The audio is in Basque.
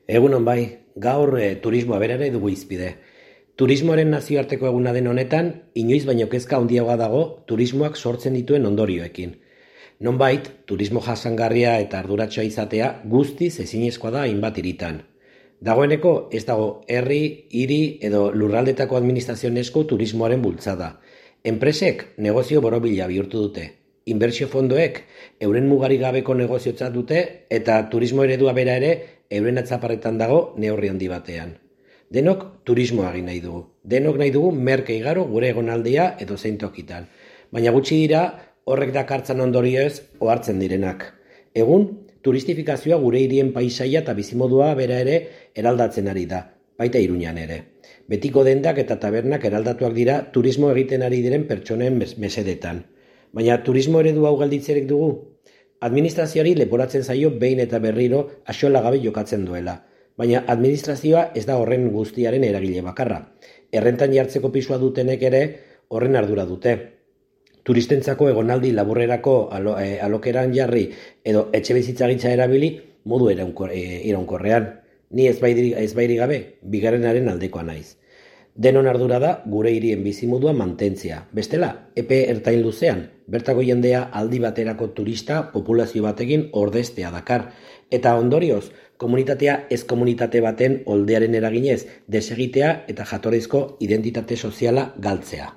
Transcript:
Egunon bai, gaur turismoa berare dugu izpide. Turismoaren nazioarteko eguna den honetan, inoiz baino kezka handiagoa dago turismoak sortzen dituen ondorioekin. Nonbait, turismo jasangarria eta arduratxoa izatea guztiz ezinezkoa da hainbat hiritan. Dagoeneko ez dago herri, hiri edo lurraldetako administrazioen esku turismoaren bultzada. Enpresek negozio borobila bihurtu dute. Inbertsio fondoek euren mugarik gabeko negoziotzat dute eta turismo eredua bera ere euren atzaparretan dago neurri handi batean. Denok turismoa egin nahi dugu. Denok nahi dugu merke igaro gure egonaldia edo zein tokitan. Baina gutxi dira horrek dakartzan ondorioez ohartzen direnak. Egun, turistifikazioa gure hirien paisaia eta bizimodua bera ere eraldatzen ari da, baita Iruñan ere. Betiko dendak eta tabernak eraldatuak dira turismo egiten ari diren pertsonen mesedetan. Baina turismo eredu hau galditzerek dugu? Administrazioari leporatzen zaio behin eta berriro axola gabe jokatzen duela. Baina administrazioa ez da horren guztiaren eragile bakarra. Errentan jartzeko pisua dutenek ere horren ardura dute. Turistentzako egonaldi laburrerako alokeran jarri edo etxe bizitzagintza erabili modu iraunkorrean. Ni ezbairi gabe, bigarrenaren aldekoa naiz. Denon ardura da gure hirien bizimodua mantentzea. Bestela, epe ertain luzean, bertako jendea aldi baterako turista populazio batekin ordeztea dakar. Eta ondorioz, komunitatea ez komunitate baten oldearen eraginez desegitea eta jatorrizko identitate soziala galtzea.